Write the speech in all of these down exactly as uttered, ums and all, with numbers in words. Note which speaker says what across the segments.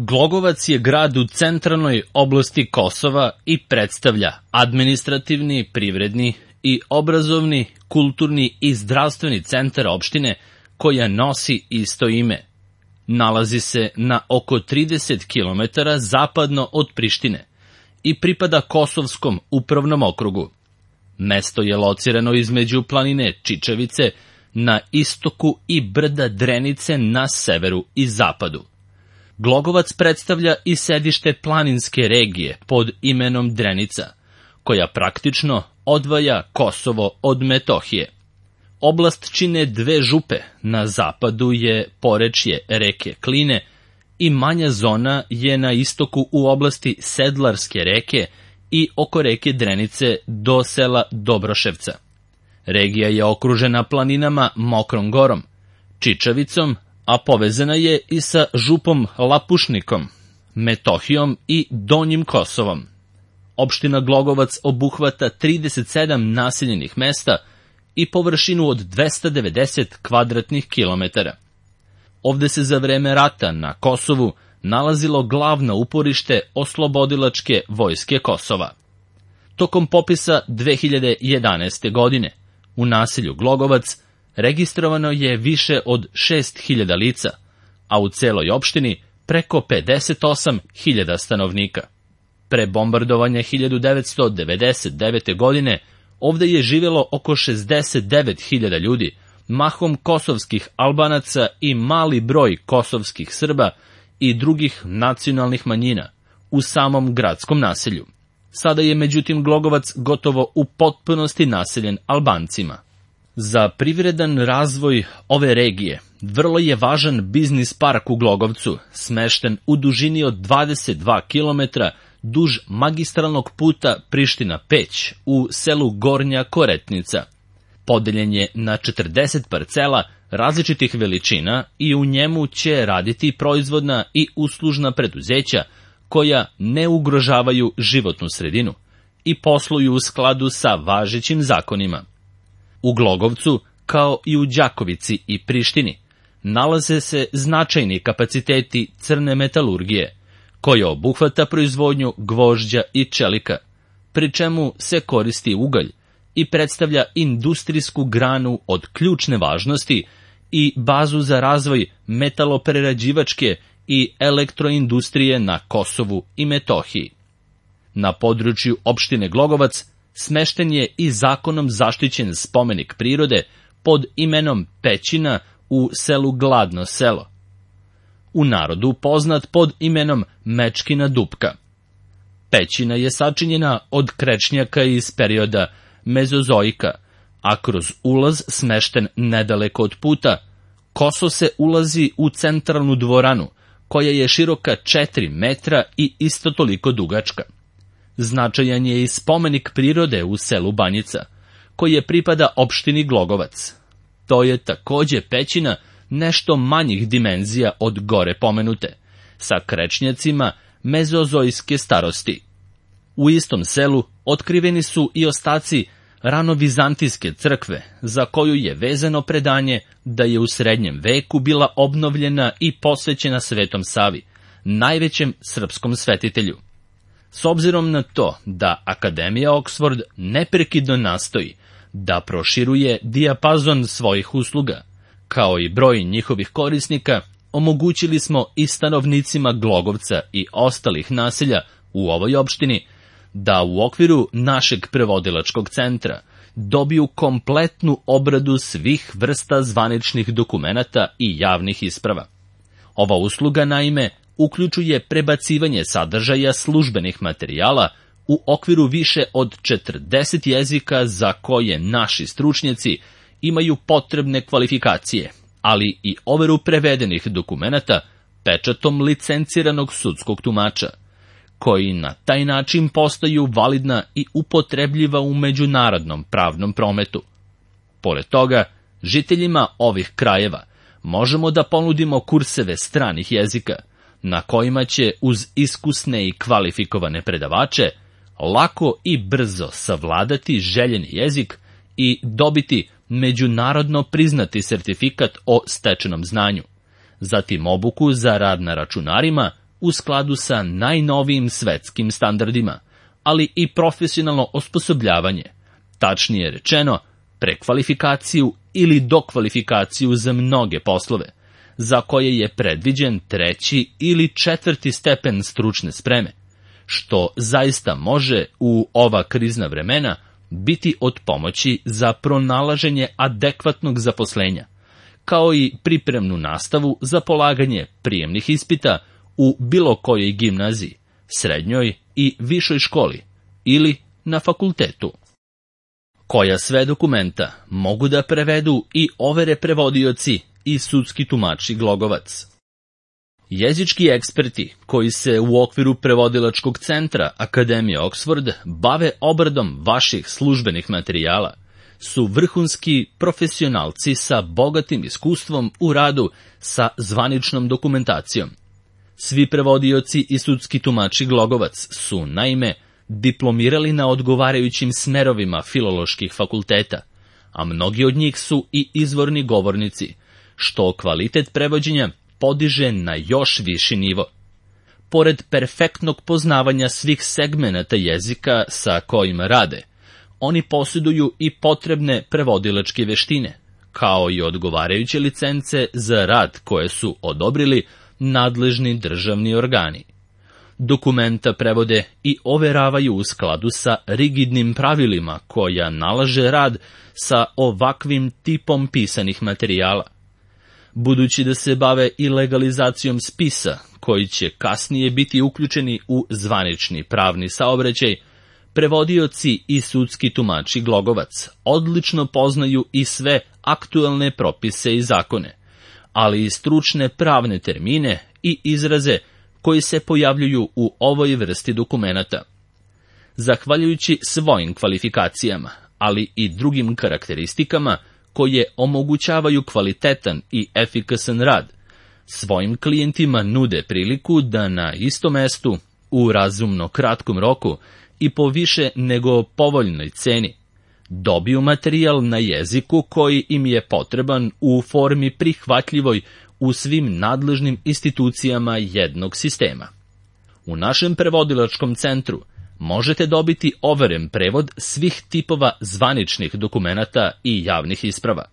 Speaker 1: Glogovac je grad u centralnoj oblasti Kosova i predstavlja administrativni, privredni i obrazovni, kulturni i zdravstveni centar opštine koja nosi isto ime. Nalazi se na oko trideset kilometara zapadno od Prištine i pripada Kosovskom upravnom okrugu. Mesto je locirano između planine Čičevice na istoku i brda Drenice na severu i zapadu. Glogovac predstavlja i sedište planinske regije pod imenom Drenica, koja praktično odvaja Kosovo od Metohije. Oblast čine dve župe, na zapadu je porečje reke Kline i manja zona je na istoku u oblasti Sedlarske reke i oko reke Drenice do sela Dobroševca. Regija je okružena planinama Mokrom Gorom, Čičavicom, a povezana je i sa župom Lapušnikom, Metohijom i Donjim Kosovom. Opština Glogovac obuhvata trideset sedam naseljenih mesta i površinu od dvesta devedeset kvadratnih kilometara. Ovde se za vreme rata na Kosovu nalazilo glavno uporište oslobodilačke vojske Kosova. Tokom popisa dve hiljade jedanaeste. godine u naselju Glogovac registrovano je više od šest hiljada lica, a u celoj opštini preko pedeset osam hiljada stanovnika. Pre bombardovanja hiljadu devetsto devedeset devete. godine ovde je živjelo oko šezdeset devet hiljada ljudi, mahom kosovskih Albanaca i mali broj kosovskih Srba i drugih nacionalnih manjina u samom gradskom naselju. Sada je međutim Glogovac gotovo u potpunosti naseljen Albancima. Za privredan razvoj ove regije vrlo je važan biznis park u Glogovcu, smešten u dužini od dvadeset dva kilometra duž magistralnog puta Priština-Peć u selu Gornja Koretnica. Podeljen je na četrdeset parcela različitih veličina i u njemu će raditi proizvodna i uslužna preduzeća koja ne ugrožavaju životnu sredinu i posluju u skladu sa važećim zakonima. U Glogovcu, kao i u Đakovici i Prištini, nalaze se značajni kapaciteti crne metalurgije, koja obuhvata proizvodnju gvožđa i čelika, pri čemu se koristi ugalj i predstavlja industrijsku granu od ključne važnosti i bazu za razvoj metaloprerađivačke i elektroindustrije na Kosovu i Metohiji. Na području opštine Glogovac smešten je i zakonom zaštićen spomenik prirode pod imenom Pećina u selu Gladno selo, u narodu poznat pod imenom Mečkina dupka. Pećina je sačinjena od krečnjaka iz perioda Mezozoika, a kroz ulaz smešten nedaleko od puta, koso se ulazi u centralnu dvoranu, koja je široka četiri metra i isto toliko dugačka. Značajan je i spomenik prirode u selu Banjica, koji je pripada opštini Glogovac. To je takođe pećina nešto manjih dimenzija od gore pomenute, sa krečnjacima mezozojske starosti. U istom selu otkriveni su i ostaci ranovizantijske crkve, za koju je vezano predanje da je u srednjem veku bila obnovljena i posvećena Svetom Savi, najvećem srpskom svetitelju. S obzirom na to da Akademija Oxford neprekidno nastoji da proširuje dijapazon svojih usluga, kao i broj njihovih korisnika, omogućili smo i stanovnicima Glogovca i ostalih naselja u ovoj opštini da u okviru našeg prevodilačkog centra dobiju kompletnu obradu svih vrsta zvaničnih dokumenata i javnih isprava. Ova usluga, naime, uključuje prebacivanje sadržaja službenih materijala u okviru više od četrdeset jezika za koje naši stručnjaci imaju potrebne kvalifikacije, ali i overu prevedenih dokumenata pečatom licenciranog sudskog tumača, koji na taj način postaju validna i upotrebljiva u međunarodnom pravnom prometu. Pored toga, žiteljima ovih krajeva možemo da ponudimo kurseve stranih jezika, na kojima će uz iskusne i kvalifikovane predavače lako i brzo savladati željeni jezik i dobiti međunarodno priznati sertifikat o stečenom znanju, zatim obuku za rad na računarima, u skladu sa najnovijim svetskim standardima, ali i profesionalno osposobljavanje, tačnije rečeno, prekvalifikaciju ili dokvalifikaciju za mnoge poslove, za koje je predviđen treći ili četvrti stepen stručne spreme, što zaista može u ova krizna vremena biti od pomoći za pronalaženje adekvatnog zaposlenja, kao i pripremnu nastavu za polaganje prijemnih ispita u bilo kojoj gimnaziji, srednjoj i višoj školi ili na fakultetu. Koja sve dokumenta mogu da prevedu i overe prevodioci i sudski tumači Glogovac. Jezički eksperti koji se u okviru prevodilačkog centra Akademije Oxford bave obradom vaših službenih materijala su vrhunski profesionalci sa bogatim iskustvom u radu sa zvaničnom dokumentacijom. Svi prevodioci i sudski tumači Glogovac su, naime, diplomirali na odgovarajućim smerovima filoloških fakulteta, a mnogi od njih su i izvorni govornici, što kvalitet prevođenja podiže na još viši nivo. Pored perfektnog poznavanja svih segmenata jezika sa kojima rade, oni posjeduju i potrebne prevodilačke veštine, kao i odgovarajuće licence za rad koje su odobrili nadležni državni organi. Dokumenta prevode i overavaju u skladu sa rigidnim pravilima koja nalaže rad sa ovakvim tipom pisanih materijala. Budući da se bave i legalizacijom spisa, koji će kasnije biti uključeni u zvanični pravni saobraćaj, prevodioci i sudski tumači Glogovac odlično poznaju i sve aktuelne propise i zakone, ali i stručne pravne termine i izraze koji se pojavljuju u ovoj vrsti dokumenata. Zahvaljujući svojim kvalifikacijama, ali i drugim karakteristikama koje omogućavaju kvalitetan i efikasan rad, svojim klijentima nude priliku da na istom mestu, u razumno kratkom roku i po više nego povoljnoj ceni, dobiju materijal na jeziku koji im je potreban u formi prihvatljivoj u svim nadležnim institucijama jednog sistema. U našem prevodilačkom centru možete dobiti overen prevod svih tipova zvaničnih dokumenata i javnih isprava,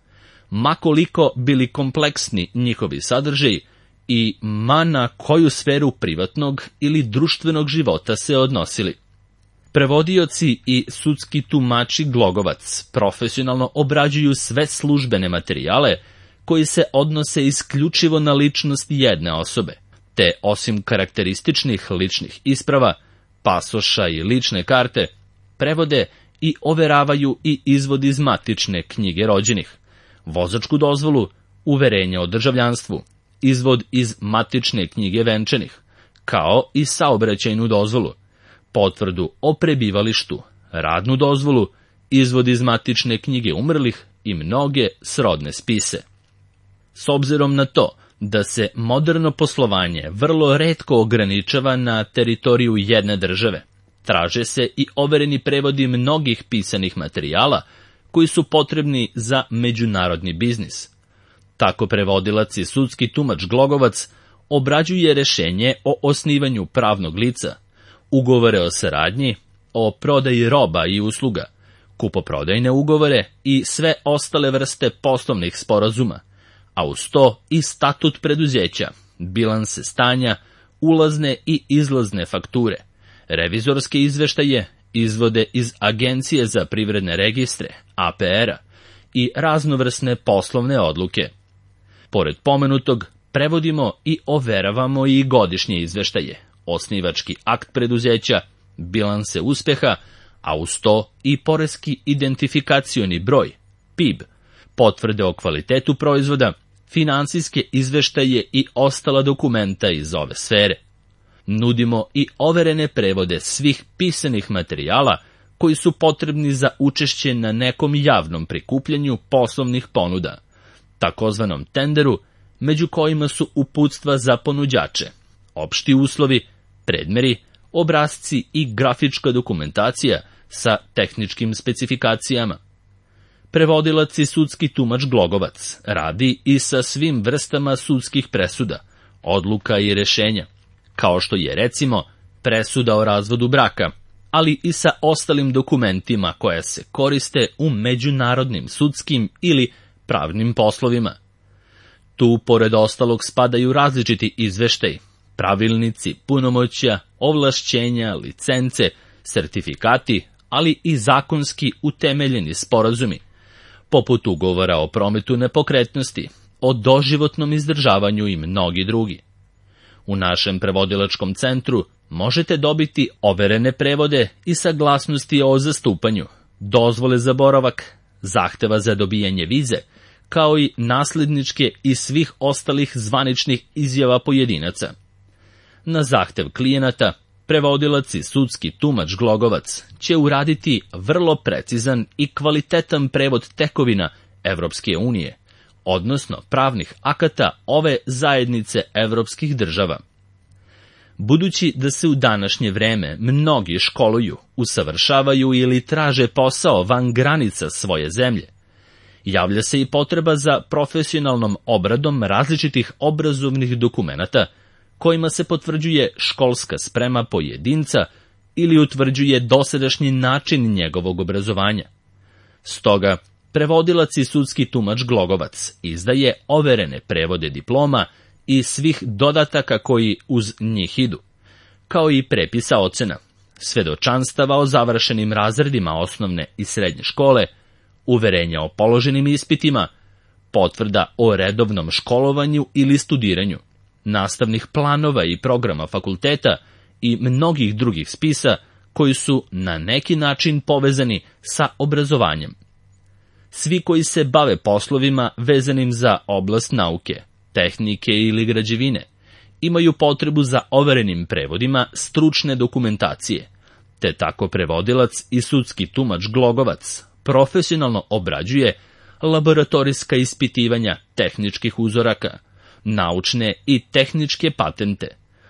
Speaker 1: ma koliko bili kompleksni njihovi sadržaji i ma na koju sferu privatnog ili društvenog života se odnosili. Prevodioci i sudski tumači Glogovac profesionalno obrađuju sve službene materijale koji se odnose isključivo na ličnost jedne osobe, te osim karakterističnih ličnih isprava, pasoša i lične karte, prevode i overavaju i izvod iz matične knjige rođenih, vozačku dozvolu, uverenje o državljanstvu, izvod iz matične knjige venčanih, kao i saobraćajnu dozvolu, potvrdu o prebivalištu, radnu dozvolu, izvod iz matične knjige umrlih i mnoge srodne spise. S obzirom na to da se moderno poslovanje vrlo retko ograničava na teritoriju jedne države, traže se i overeni prevodi mnogih pisanih materijala koji su potrebni za međunarodni biznis. Tako prevodilac i sudski tumač Glogovac obrađuje rešenje o osnivanju pravnog lica, ugovore o saradnji, o prodaji roba i usluga, kupoprodajne ugovore i sve ostale vrste poslovnih sporazuma, a uz to i statut preduzeća, bilanse stanja, ulazne i izlazne fakture, revizorske izveštaje, izvode iz Agencije za privredne registre, A P R-a, i raznovrsne poslovne odluke. Pored pomenutog, prevodimo i overavamo i godišnje izveštaje, osnivački akt preduzeća, bilanse uspeha, a uz to i poreski identifikacioni broj, P I B, potvrde o kvalitetu proizvoda, finansijske izveštaje i ostala dokumenta iz ove sfere. Nudimo i overene prevode svih pisanih materijala koji su potrebni za učešće na nekom javnom prikupljanju poslovnih ponuda, takozvanom tenderu, među kojima su uputstva za ponuđače, opšti uslovi, predmeri, obrasci i grafička dokumentacija sa tehničkim specifikacijama. Prevodilac i sudski tumač Glogovac radi i sa svim vrstama sudskih presuda, odluka i rešenja, kao što je recimo presuda o razvodu braka, ali i sa ostalim dokumentima koja se koriste u međunarodnim sudskim ili pravnim poslovima. Tu, pored ostalog, spadaju različiti izveštaji, pravilnici, punomoćja, ovlašćenja, licence, sertifikati, ali i zakonski utemeljeni sporazumi, poput ugovora o prometu nepokretnosti, o doživotnom izdržavanju i mnogi drugi. U našem prevodilačkom centru možete dobiti overene prevode i saglasnosti o zastupanju, dozvole za boravak, zahteva za dobijanje vize, kao i nasledničke i svih ostalih zvaničnih izjava pojedinaca. Na zahtev klijenata, prevodilac i sudski tumač Glogovac će uraditi vrlo precizan i kvalitetan prevod tekovina Evropske unije, odnosno pravnih akata ove zajednice evropskih država. Budući da se u današnje vreme mnogi školuju, usavršavaju ili traže posao van granica svoje zemlje, javlja se i potreba za profesionalnom obradom različitih obrazovnih dokumenata kojima se potvrđuje školska sprema pojedinca ili utvrđuje dosadašnji način njegovog obrazovanja. Stoga, prevodilac i sudski tumač Glogovac izdaje overene prevode diploma i svih dodataka koji uz njih idu, kao i prepisa ocena, svedočanstava o završenim razredima osnovne i srednje škole, uverenja o položenim ispitima, potvrda o redovnom školovanju ili studiranju, nastavnih planova i programa fakulteta i mnogih drugih spisa koji su na neki način povezani sa obrazovanjem. Svi koji se bave poslovima vezanim za oblast nauke, tehnike ili građevine, imaju potrebu za overenim prevodima stručne dokumentacije, te tako prevodilac i sudski tumač Glogovac profesionalno obrađuje laboratorijska ispitivanja tehničkih uzoraka, naučne i tehničke patente,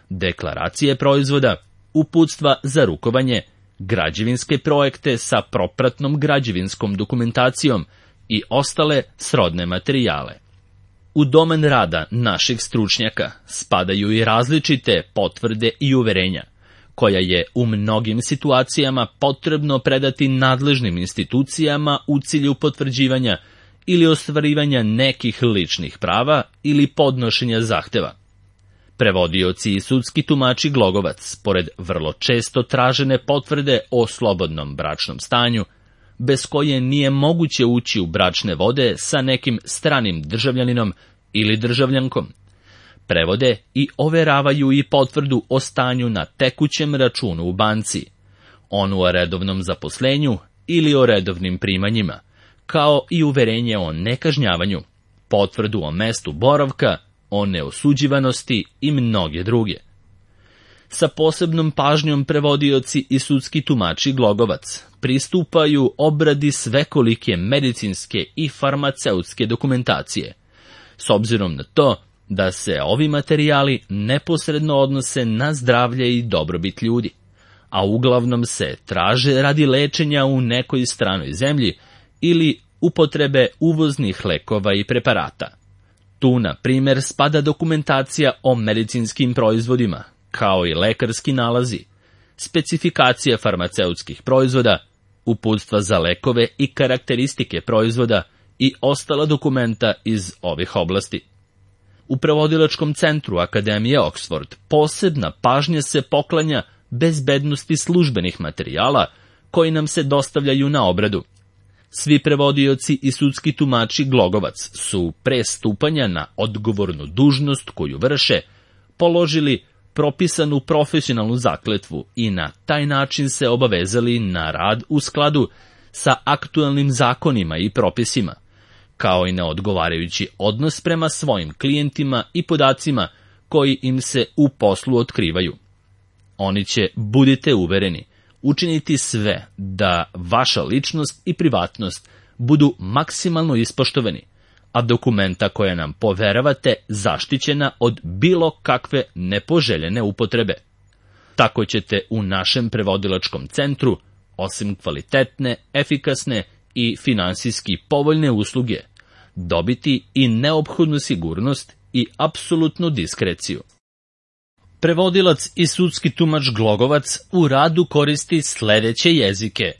Speaker 1: deklaracije proizvoda, uputstva za rukovanje, građevinske projekte sa propratnom građevinskom dokumentacijom i ostale srodne materijale. U domen rada naših stručnjaka spadaju i različite potvrde i uverenja, koja je u mnogim situacijama potrebno predati nadležnim institucijama u cilju potvrđivanja ili ostvarivanja nekih ličnih prava ili podnošenja zahteva. Prevodioci i sudski tumači Glogovac, pored vrlo često tražene potvrde o slobodnom bračnom stanju, bez koje nije moguće ući u bračne vode sa nekim stranim državljaninom ili državljankom, prevode i overavaju i potvrdu o stanju na tekućem računu u banci, onu o redovnom zaposlenju ili o redovnim primanjima, kao i uverenje o nekažnjavanju, potvrdu o mestu boravka, o neosuđivanosti i mnoge druge. Sa posebnom pažnjom prevodioci i sudski tumači Glogovac pristupaju obradi svekolike medicinske i farmaceutske dokumentacije, s obzirom na to da se ovi materijali neposredno odnose na zdravlje i dobrobit ljudi, a uglavnom se traže radi lečenja u nekoj stranoj zemlji ili upotrebe uvoznih lekova i preparata. Tu, na primjer, spada dokumentacija o medicinskim proizvodima, kao i lekarski nalazi, specifikacija farmaceutskih proizvoda, uputstva za lekove i karakteristike proizvoda i ostala dokumenta iz ovih oblasti. U prevodilačkom centru Akademije Oxford posebna pažnja se poklanja bezbednosti službenih materijala koji nam se dostavljaju na obradu. Svi prevodioci i sudski tumači Glogovac su pre stupanja na odgovornu dužnost koju vrše položili propisanu profesionalnu zakletvu i na taj način se obavezali na rad u skladu sa aktuelnim zakonima i propisima, kao i na odgovarajući odnos prema svojim klijentima i podacima koji im se u poslu otkrivaju. Oni će, budite uvereni, učiniti sve da vaša ličnost i privatnost budu maksimalno ispoštovani, a dokumenta koje nam poveravate zaštićena od bilo kakve nepoželjene upotrebe. Tako ćete u našem prevodilačkom centru, osim kvalitetne, efikasne i finansijski povoljne usluge, dobiti i neophodnu sigurnost i apsolutnu diskreciju. Prevodilac i sudski tumač Glogovac u radu koristi sledeće jezike.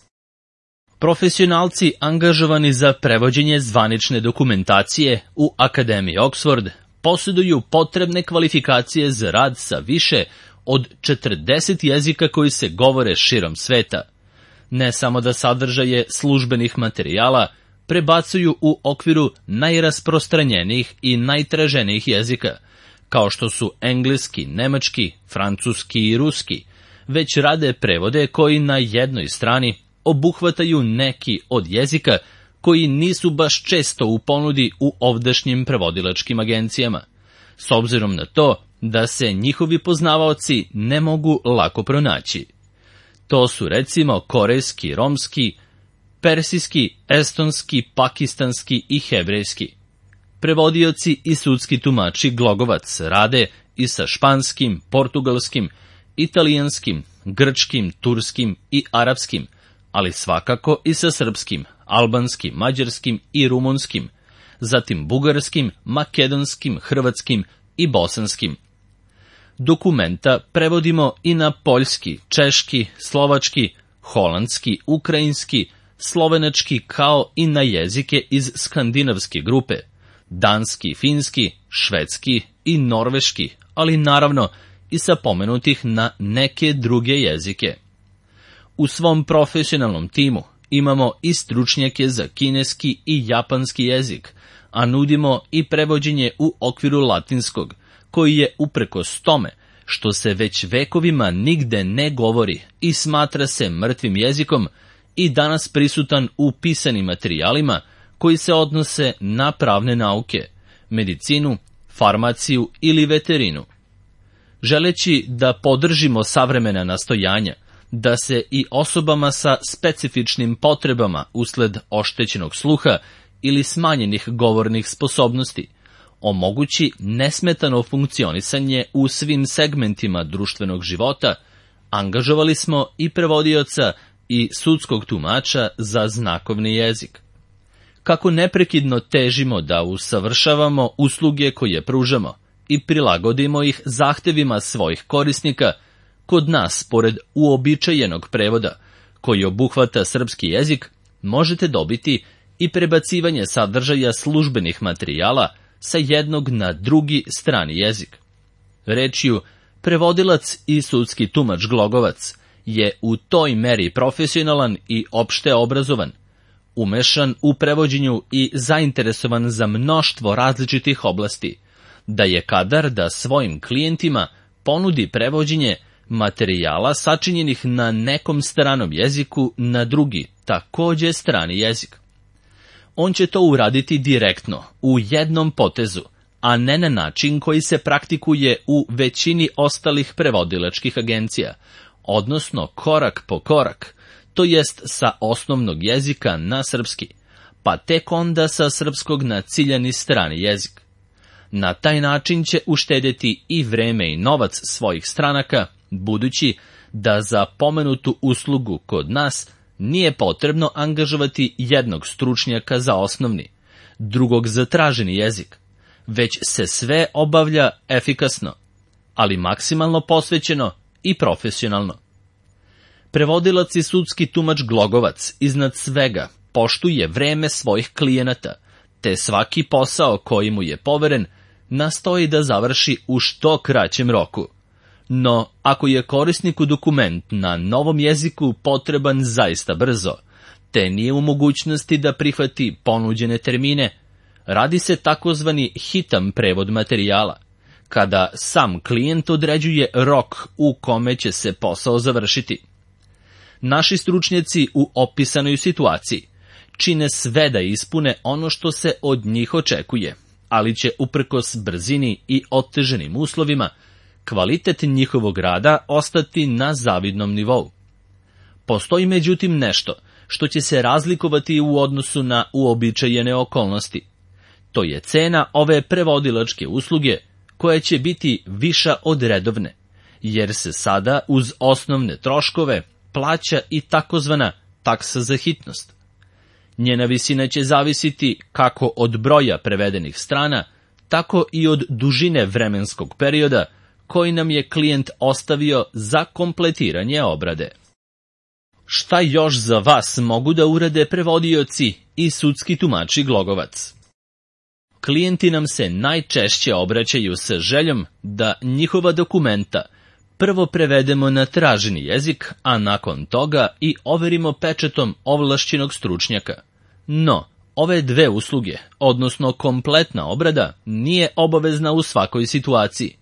Speaker 1: Profesionalci angažovani za prevođenje zvanične dokumentacije u Akademiji Oxford posjeduju potrebne kvalifikacije za rad sa više od četrdeset jezika koji se govore širom sveta. Ne samo da sadržaje službenih materijala prebacuju u okviru najrasprostranjenijih i najtraženijih jezika, kao što su engleski, nemački, francuski i ruski, već rade prevode koji na jednoj strani obuhvataju neki od jezika koji nisu baš često u ponudi u ovdašnjim prevodilačkim agencijama, s obzirom na to da se njihovi poznavaoci ne mogu lako pronaći. To su recimo korejski, romski, persijski, estonski, pakistanski i hebrejski. Prevodioci i sudski tumači Glogovac rade i sa španskim, portugalskim, italijanskim, grčkim, turskim i arapskim, ali svakako i sa srpskim, albanskim, mađarskim i rumunskim, zatim bugarskim, makedonskim, hrvatskim i bosanskim. Dokumenta prevodimo i na poljski, češki, slovački, holandski, ukrajinski, slovenački kao i na jezike iz skandinavske grupe, danski, finski, švedski i norveški, ali naravno i sa pomenutih na neke druge jezike. U svom profesionalnom timu imamo i stručnjake za kineski i japanski jezik, a nudimo i prevođenje u okviru latinskog, koji je uprkos tome što se već vekovima nigde ne govori i smatra se mrtvim jezikom, i danas prisutan u pisanim materijalima koji se odnose na pravne nauke, medicinu, farmaciju ili veterinu. Želeći da podržimo savremena nastojanja, da se i osobama sa specifičnim potrebama usled oštećenog sluha ili smanjenih govornih sposobnosti omogući nesmetano funkcionisanje u svim segmentima društvenog života, angažovali smo i prevodioca i sudskog tumača za znakovni jezik. Kako neprekidno težimo da usavršavamo usluge koje pružamo i prilagodimo ih zahtevima svojih korisnika, kod nas, pored uobičajenog prevoda, koji obuhvata srpski jezik, možete dobiti i prebacivanje sadržaja službenih materijala sa jednog na drugi strani jezik. Rečju, prevodilac i sudski tumač Glogovac je u toj meri profesionalan i opšte obrazovan, umešan u prevođenju i zainteresovan za mnoštvo različitih oblasti, da je kadar da svojim klijentima ponudi prevođenje materijala sačinjenih na nekom stranom jeziku na drugi, takođe strani jezik. On će to uraditi direktno, u jednom potezu, a ne na način koji se praktikuje u većini ostalih prevodilačkih agencija, odnosno korak po korak, to jest sa osnovnog jezika na srpski, pa tek onda sa srpskog na ciljani strani jezik. Na taj način će uštedjeti i vreme i novac svojih stranaka, budući da za pomenutu uslugu kod nas nije potrebno angažovati jednog stručnjaka za osnovni, drugog za traženi jezik, već se sve obavlja efikasno, ali maksimalno posvećeno i profesionalno. Prevodilac i sudski tumač Glogovac iznad svega poštuje vreme svojih klijenata, te svaki posao koji mu je poveren nastoji da završi u što kraćem roku. No, ako je korisniku dokument na novom jeziku potreban zaista brzo, te nije u mogućnosti da prihvati ponuđene termine, radi se takozvani hitan prevod materijala, kada sam klijent određuje rok u kome će se posao završiti. Naši stručnjaci u opisanoj situaciji čine sve da ispune ono što se od njih očekuje, ali će uprkos brzini i oteženim uslovima kvalitet njihovog rada ostati na zavidnom nivou. Postoji međutim nešto što će se razlikovati u odnosu na uobičajene okolnosti. To je cena ove prevodilačke usluge koja će biti viša od redovne, jer se sada uz osnovne troškove plaća i takozvana taksa za hitnost. Njena visina će zavisiti kako od broja prevedenih strana, tako i od dužine vremenskog perioda koji nam je klijent ostavio za kompletiranje obrade. Šta još za vas mogu da urade prevodioci i sudski tumači Glogovac? Klijenti nam se najčešće obraćaju sa željom da njihova dokumenta prvo prevedemo na traženi jezik, a nakon toga i overimo pečatom ovlašćenog stručnjaka. No, ove dve usluge, odnosno kompletna obrada, nije obavezna u svakoj situaciji,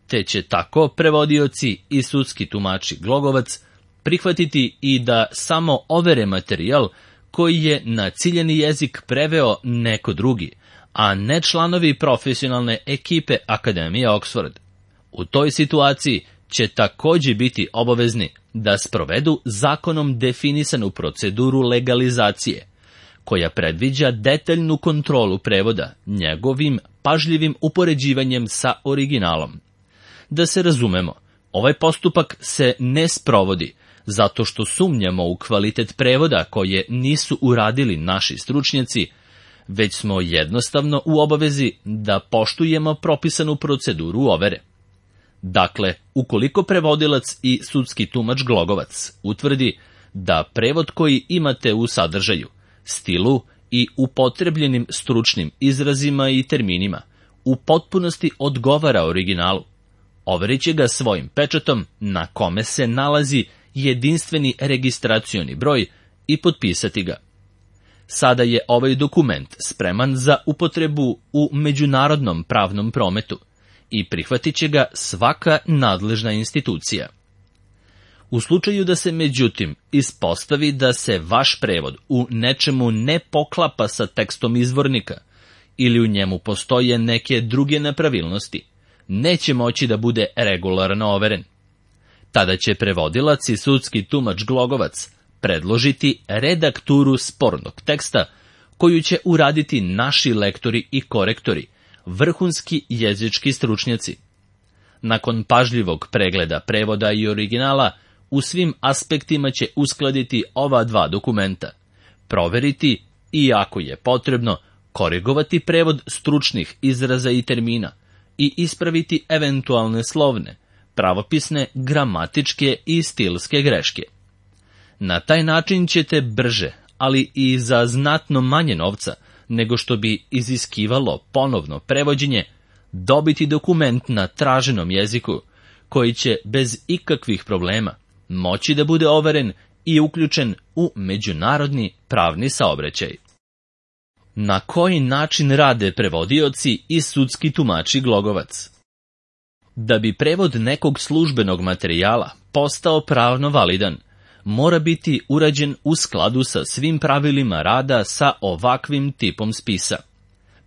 Speaker 1: te će tako prevodioci i sudski tumači Glogovac prihvatiti i da samo overe materijal koji je na ciljani jezik preveo neko drugi, a ne članovi profesionalne ekipe Akademije Oxford. U toj situaciji će takođe biti obavezni da sprovedu zakonom definisanu proceduru legalizacije, koja predviđa detaljnu kontrolu prevoda njegovim pažljivim upoređivanjem sa originalom. Da se razumemo, ovaj postupak se ne sprovodi zato što sumnjamo u kvalitet prevoda koje nisu uradili naši stručnjaci, već smo jednostavno u obavezi da poštujemo propisanu proceduru overe. Dakle, ukoliko prevodilac i sudski tumač Glogovac utvrdi da prevod koji imate u sadržaju, stilu i upotrebljenim stručnim izrazima i terminima u potpunosti odgovara originalu, overit će ga svojim pečatom na kome se nalazi jedinstveni registracioni broj i potpisati ga. Sada je ovaj dokument spreman za upotrebu u međunarodnom pravnom prometu i prihvatit će ga svaka nadležna institucija. U slučaju da se međutim ispostavi da se vaš prevod u nečemu ne poklapa sa tekstom izvornika ili u njemu postoje neke druge nepravilnosti, neće moći da bude regularno overen. Tada će prevodilac i sudski tumač Glogovac predložiti redakturu spornog teksta koju će uraditi naši lektori i korektori, vrhunski jezički stručnjaci. Nakon pažljivog pregleda prevoda i originala, u svim aspektima će uskladiti ova dva dokumenta, proveriti i, ako je potrebno, korigovati prevod stručnih izraza i termina i ispraviti eventualne slovne, pravopisne, gramatičke i stilske greške. Na taj način ćete brže, ali i za znatno manje novca nego što bi iziskivalo ponovno prevođenje, dobiti dokument na traženom jeziku koji će bez ikakvih problema moći da bude overen i uključen u međunarodni pravni saobraćaj. Na koji način rade prevodioci i sudski tumači Glogovac? Da bi prevod nekog službenog materijala postao pravno validan, mora biti urađen u skladu sa svim pravilima rada sa ovakvim tipom spisa.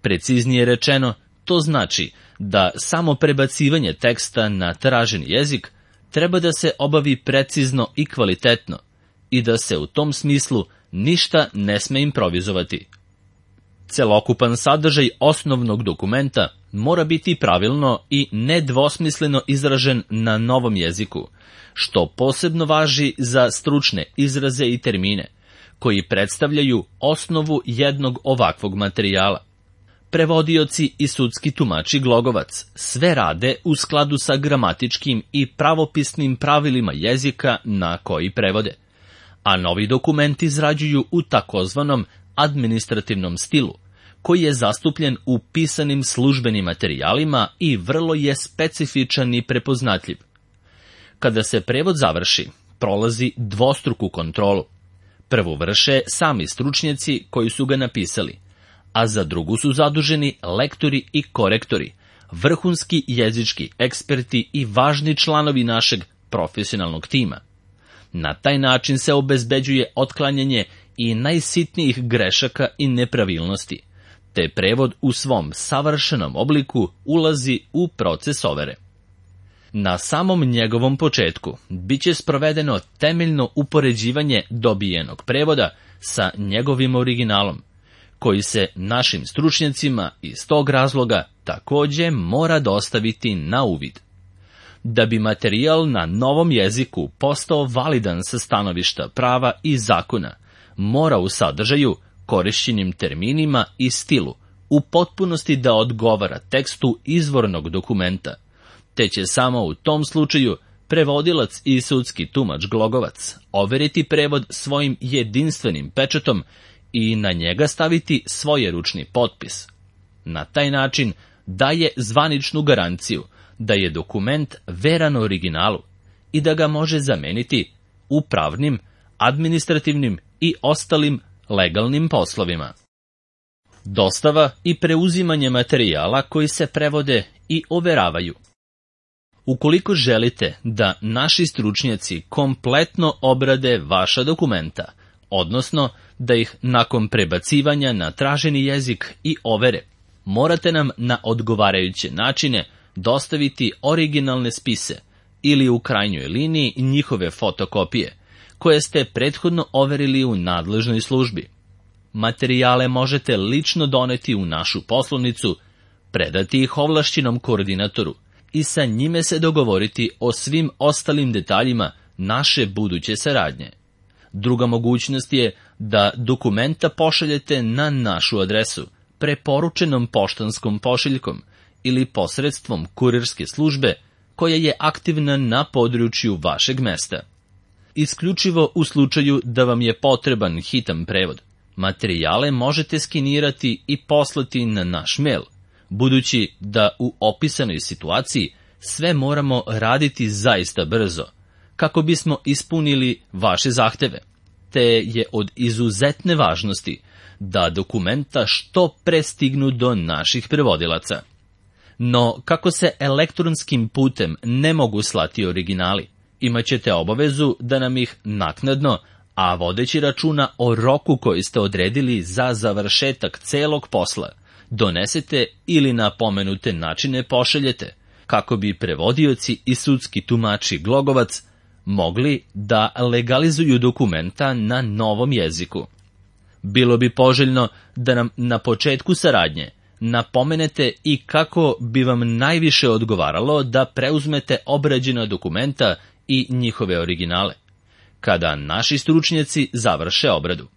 Speaker 1: Preciznije rečeno, to znači da samo prebacivanje teksta na traženi jezik treba da se obavi precizno i kvalitetno i da se u tom smislu ništa ne sme improvizovati. Celokupan sadržaj osnovnog dokumenta mora biti pravilno i nedvosmisleno izražen na novom jeziku, što posebno važi za stručne izraze i termine, koji predstavljaju osnovu jednog ovakvog materijala. Prevodioci i sudski tumači Glogovac sve rade u skladu sa gramatičkim i pravopisnim pravilima jezika na koji prevode, a novi dokument izrađuju u takozvanom administrativnom stilu, koji je zastupljen u pisanim službenim materijalima i vrlo je specifičan i prepoznatljiv. Kada se prevod završi, prolazi dvostruku kontrolu. Prvu vrše sami stručnjaci koji su ga napisali, a za drugu su zaduženi lektori i korektori, vrhunski jezički eksperti i važni članovi našeg profesionalnog tima. Na taj način se obezbeđuje otklanjanje i najsitnijih grešaka i nepravilnosti, te prevod u svom savršenom obliku ulazi u proces overe. Na samom njegovom početku biće sprovedeno temeljno upoređivanje dobijenog prevoda sa njegovim originalom, koji se našim stručnjacima iz tog razloga takođe mora dostaviti na uvid. Da bi materijal na novom jeziku postao validan sa stanovišta prava i zakona, mora u sadržaju, korišćenim terminima i stilu u potpunosti da odgovara tekstu izvornog dokumenta, te će samo u tom slučaju prevodilac i sudski tumač Glogovac overiti prevod svojim jedinstvenim pečatom i na njega staviti svojeručni potpis. Na taj način daje zvaničnu garanciju da je dokument veran originalu i da ga može zameniti u pravnim, administrativnim i ostalim legalnim poslovima. Dostava i preuzimanje materijala koji se prevode i overavaju. Ukoliko želite da naši stručnjaci kompletno obrade vaša dokumenta, odnosno da ih nakon prebacivanja na traženi jezik i overe, morate nam na odgovarajuće načine dostaviti originalne spise ili u krajnjoj liniji njihove fotokopije, koje ste prethodno overili u nadležnoj službi. Materijale možete lično doneti u našu poslovnicu, predati ih ovlašćenom koordinatoru i sa njime se dogovoriti o svim ostalim detaljima naše buduće saradnje. Druga mogućnost je da dokumenta pošaljete na našu adresu, preporučenom poštanskom pošiljkom ili posredstvom kurirske službe koja je aktivna na području vašeg mesta. Isključivo u slučaju da vam je potreban hitan prevod, materijale možete skenirati i poslati na naš mail, budući da u opisanoj situaciji sve moramo raditi zaista brzo, kako bismo ispunili vaše zahteve, te je od izuzetne važnosti da dokumenta što pre stignu do naših prevodilaca. No, kako se elektronskim putem ne mogu slati originali, imaćete obavezu da nam ih naknadno, a vodeći računa o roku koji ste odredili za završetak celog posla, donesete ili na pomenute načine pošaljete, kako bi prevodioci i sudski tumači Glogovac mogli da legalizuju dokumenta na novom jeziku. Bilo bi poželjno da nam na početku saradnje napomenete i kako bi vam najviše odgovaralo da preuzmete obrađena dokumenta i njihove originale, kada naši stručnjaci završe obradu.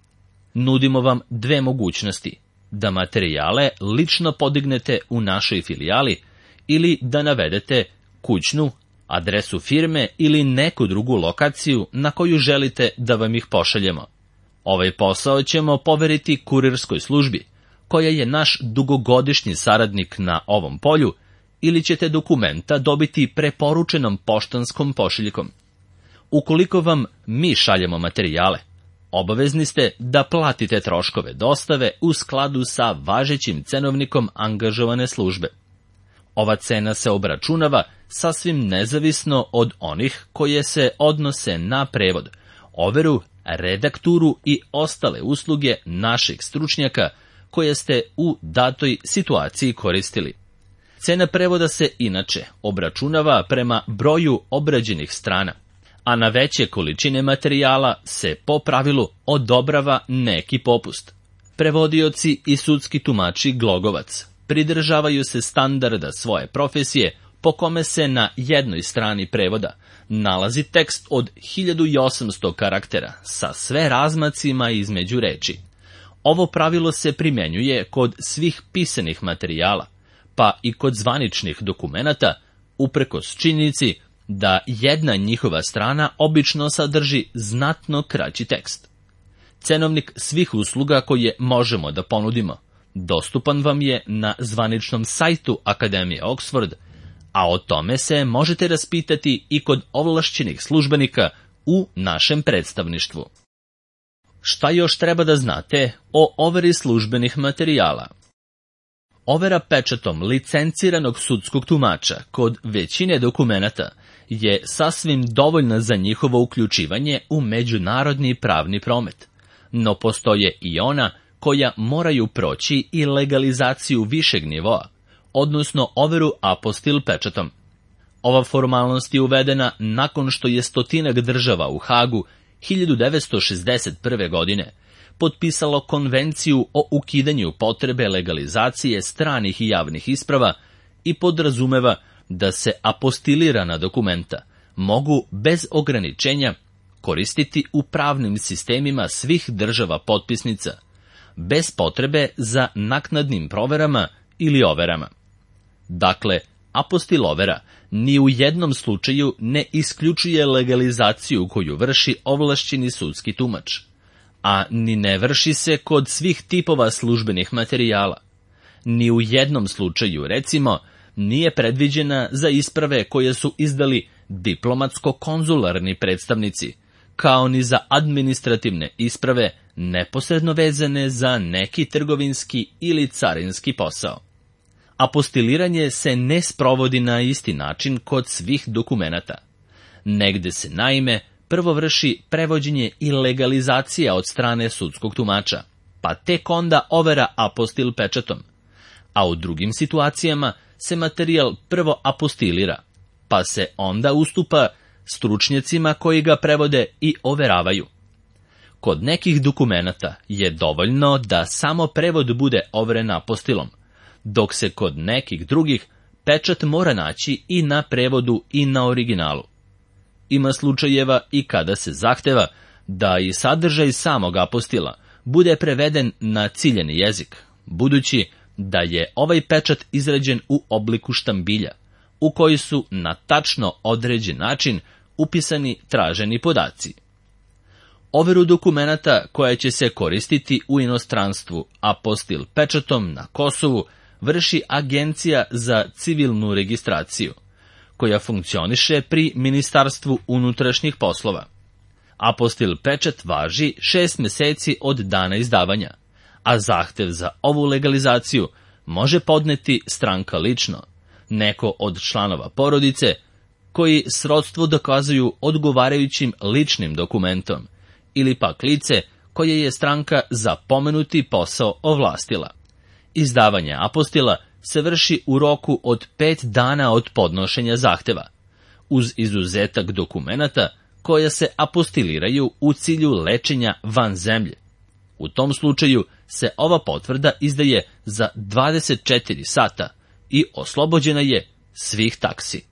Speaker 1: Nudimo vam dve mogućnosti: da materijale lično podignete u našoj filijali ili da navedete kućnu, adresu firme ili neku drugu lokaciju na koju želite da vam ih pošaljemo. Ovaj posao ćemo poveriti kurirskoj službi, koja je naš dugogodišnji saradnik na ovom polju, ili ćete dokumenta dobiti preporučenom poštanskom pošiljkom. Ukoliko vam mi šaljemo materijale, obavezni ste da platite troškove dostave u skladu sa važećim cenovnikom angažovane službe. Ova cena se obračunava sasvim nezavisno od onih koje se odnose na prevod, overu, redakturu i ostale usluge naših stručnjaka koje ste u datoj situaciji koristili. Cena prevoda se inače obračunava prema broju obrađenih strana, a na veće količine materijala se po pravilu odobrava neki popust. Prevodioci i sudski tumači Glogovac pridržavaju se standarda svoje profesije, po kome se na jednoj strani prevoda nalazi tekst od hiljadu osamsto karaktera sa sve razmacima između reči. Ovo pravilo se primenjuje kod svih pisanih materijala, pa i kod zvaničnih dokumenata, uprkos činjenici da jedna njihova strana obično sadrži znatno kraći tekst. Cenovnik svih usluga koje možemo da ponudimo dostupan vam je na zvaničnom sajtu Akademije Oxford, a o tome se možete raspitati i kod ovlašćenih službenika u našem predstavništvu. Šta još treba da znate o overi službenih materijala? Overa pečatom licenciranog sudskog tumača kod većine dokumenata je sasvim dovoljna za njihovo uključivanje u međunarodni pravni promet, no postoje i ona koja moraju proći i legalizaciju višeg nivoa, odnosno overu apostil pečatom. Ova formalnost je uvedena nakon što je stotinak država u Hagu hiljadu devetsto šezdeset prve. godine potpisalo konvenciju o ukidanju potrebe legalizacije stranih i javnih isprava i podrazumeva da se apostilirana dokumenta mogu bez ograničenja koristiti u pravnim sistemima svih država potpisnica, bez potrebe za naknadnim proverama ili overama. Dakle, Apostilovera ni u jednom slučaju ne isključuje legalizaciju koju vrši ovlašćeni sudski tumač, a ni ne vrši se kod svih tipova službenih materijala. Ni u jednom slučaju, recimo, nije predviđena za isprave koje su izdali diplomatsko-konzularni predstavnici, kao ni za administrativne isprave neposredno vezane za neki trgovinski ili carinski posao. Apostiliranje se ne sprovodi na isti način kod svih dokumenata. Negde se, naime, prvo vrši prevođenje i legalizacija od strane sudskog tumača, pa tek onda overa apostil pečatom, a u drugim situacijama se materijal prvo apostilira, pa se onda ustupa stručnjacima koji ga prevode i overavaju. Kod nekih dokumenata je dovoljno da samo prevod bude overen apostilom, dok se kod nekih drugih pečat mora naći i na prevodu i na originalu. Ima slučajeva i kada se zahteva da i sadržaj samog apostila bude preveden na ciljeni jezik, budući da je ovaj pečat izrađen u obliku štambilja, u koji su na tačno određen način upisani traženi podaci. Overu dokumenata koja će se koristiti u inostranstvu apostil pečatom na Kosovu vrši Agencija za civilnu registraciju, koja funkcioniše pri Ministarstvu unutrašnjih poslova. Apostil pečat važi šest meseci od dana izdavanja, a zahtev za ovu legalizaciju može podneti stranka lično, neko od članova porodice, koji srodstvo dokazuju odgovarajućim ličnim dokumentom, ili pak lice koje je stranka za pomenuti posao ovlastila. Izdavanje apostila se vrši u roku od pet dana od podnošenja zahteva, uz izuzetak dokumenata koja se apostiliraju u cilju lečenja van zemlje. U tom slučaju se ova potvrda izdaje za dvadeset četiri sata i oslobođena je svih taksi.